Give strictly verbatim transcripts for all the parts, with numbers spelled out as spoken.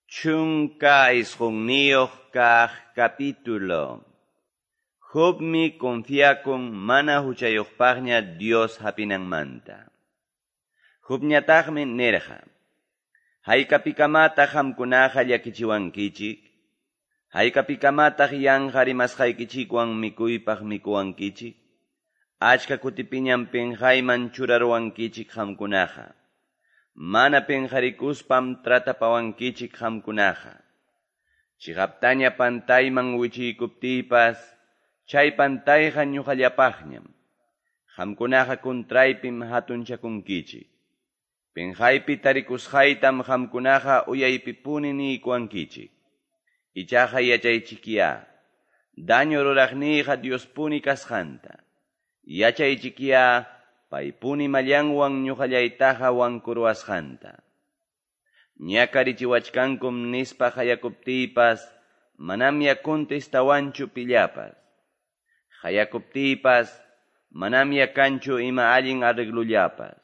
Chunka isqunniyuq kaq capítulo. Jobmi confiakun mana huchayuqpaqña Dios hapinanmanta. Jobñataqmi nirqa: Haykapikamataq qamkunaqa llakichiwankichik? Haykapikamataq yanqa rimasqaykichikwan mikuypaq mikuwankichik? Achka kutipiñam pinqayman churaruwankichik qamkunaqa. Mana pinqarikuspam tratapawankichik qamkunaqa. Chiqaptaña pantayman wichiykuptiypas, chay pantayqa ñuqallapaqñam. Qamkunaqa contraypim hatunchakunkichik. Pinqaypi tarikusqaytam qamkunaqa uyaypipuni niykuwankichik. Ichaqa yachaychikyá, daño ruraqniyqa Diospuni kasqanta. Yachaychikyá, paypuni mallanwan ñuqallaytaqa wankuruwasqanta. Ñakarichiwachkankum nispa qayakuptiypas, manamya contestawanchu pillapas. Qayakuptiypas, manamya kanchu ima allin arreglullapas.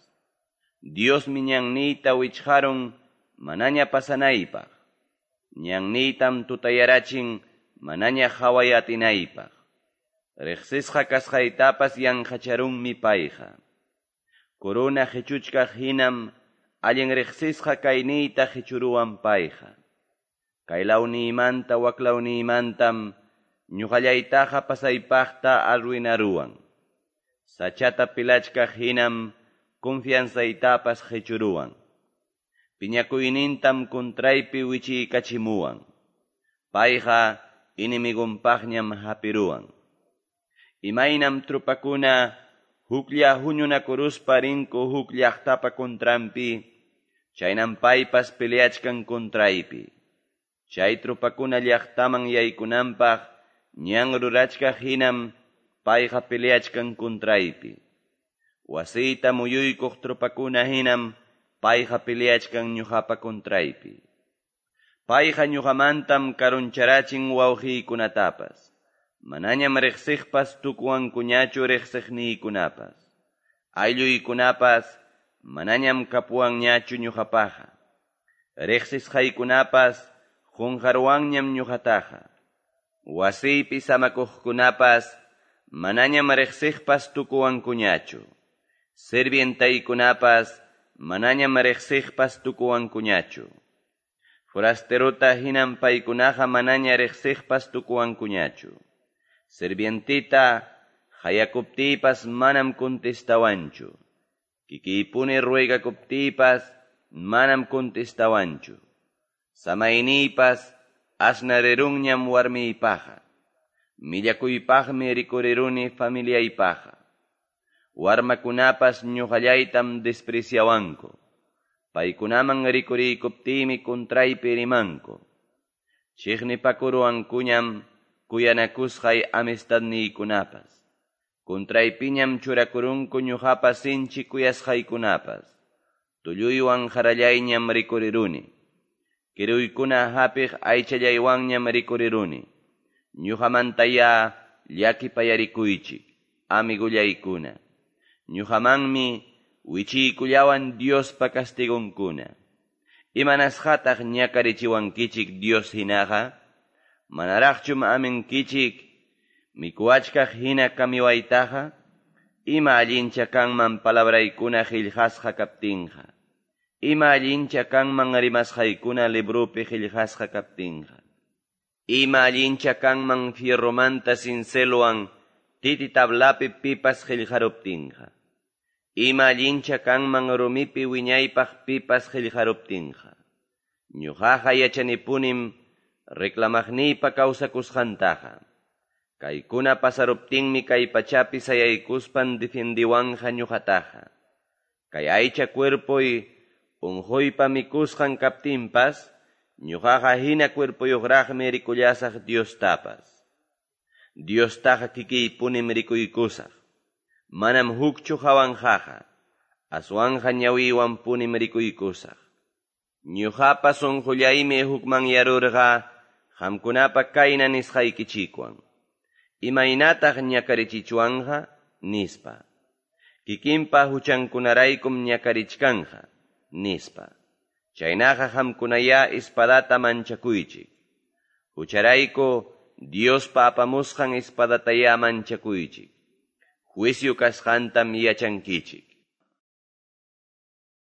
Diosmi ñanniyta wichqarun manaña pasanaypaq. Ñanniytam tutayarachin manaña qhaway atinaypaq. Riqsisqa kasqaytapas yanqacharunmi payqa. Corona qichuchkaq hinam allin riqsisqa kayniyta qichuruwan payqa. Kaylawniymantam waklawniymantam ñuqallaytaqa pasaypaqta arruinaruwan. Sachata pilachkaq hinam confianzaytapas qichuruwan. Piñakuynintam contraypi wichiykachimuwan. Payqa enemigonpaqñam hapiruwan. Imaynam trupakuna huklla huñunakuruspa rinku huk llaqtapa contranpi, chaynam paypas peleachkan contraypi. Chay trupakuna llaqtaman yaykunanpaq ñan rurachkaq hinam payqa peleachkan contraypi. Wasiyta muyuykuq trupakuna hinam payqa peleachkan ñuqapa contraypi. Payqa ñuqamantam karuncharachin wawqiykunatapas. Manañam riqsiqpas tukuwankuñachu riqsiqniykunapas. Aylluykunapas manañam kapuwanñachu ñuqapaqa. Riqsisqaykunapas qunqaruwanñam ñuqataqa. Wasiypi samakuqkunapas manañam riqsiqpas tukuwankuñachu. Sirvientaykunapas manañam riqsiqpas tukuwankuñachu. Forasterota hinam paykunaqa manaña riqsiqpas tukuwankuñachu. Sirvientita qayakuptiypas manam contestawanchu. Kikiypuni ruegakuptiypas manam contestawanchu. Samayniypas asnarirunñam warmiypaqa. Millakuypaqmi rikuriruni familiaypaqa. Warmakunapas ñuqallaytam despreciawanku. Paykunaman rikuriykuptiymi contraypi rimanku. Chiqnipakuruwankuñam kuyanakusqay amistadniykunapas. Contraypiñam churakurunku ñuqapa sinchi kuyasqaykunapas. Tulluywan qarallayñam rikuriruni. Kiruykuna hapiq aychallaywanñam rikuriruni. Ñuqamantayá llakipayarikuychik, amigullaykuna. Ñuqamanmi wichiykullawan Diospa castigonkuna. Imanasqataq ñakarichiwankichik Dios hinaqa? Manaraqchum aminkichik mikuwachkaq hina kamiwaytaqa? Ima allincha kanman palabraykuna qillqasqa kaptinqa? Ima allincha kanman rimasqaykuna librupi qillqasqa kaptinqa? Ima allincha kanman fierromanta cincelwan titi tablapi pipas qillqaruptinqa? Ima allincha kanman rumipi wiñaypaq pipas qillqaruptinqa? Ñuqaqa yachanipunim reclamaqniypa kawsakusqantaqa. Kaykuna pasaruptinmi kay pachapi sayaykuspan defendiwanja ñuqataqa. Kay aycha cuerpoy unquypa mikusqan kaptinpas, ñuqaqa hina cuerpoyuqraqmi rikullasaq Diostapas. Diostaqa kikiypunim rikuykusaq. Manam hukchu hawanqaqa, aswanja ñawiywanpunim rikuykusaq. Ñuqapa sunqullaymi hukmanyarurqa qamkunapa kayna nisqaykichikwan. Imaynataq ñakarichichwanqa nispa. Kikinpa huchankunaraykum ñakarichkanja nispa. Chaynaqa qamkunayá espadata manchakuychik. Hucharayku Diospa apamusqan espadatayá manchakuychik. Juicio kasqantam yachankichik.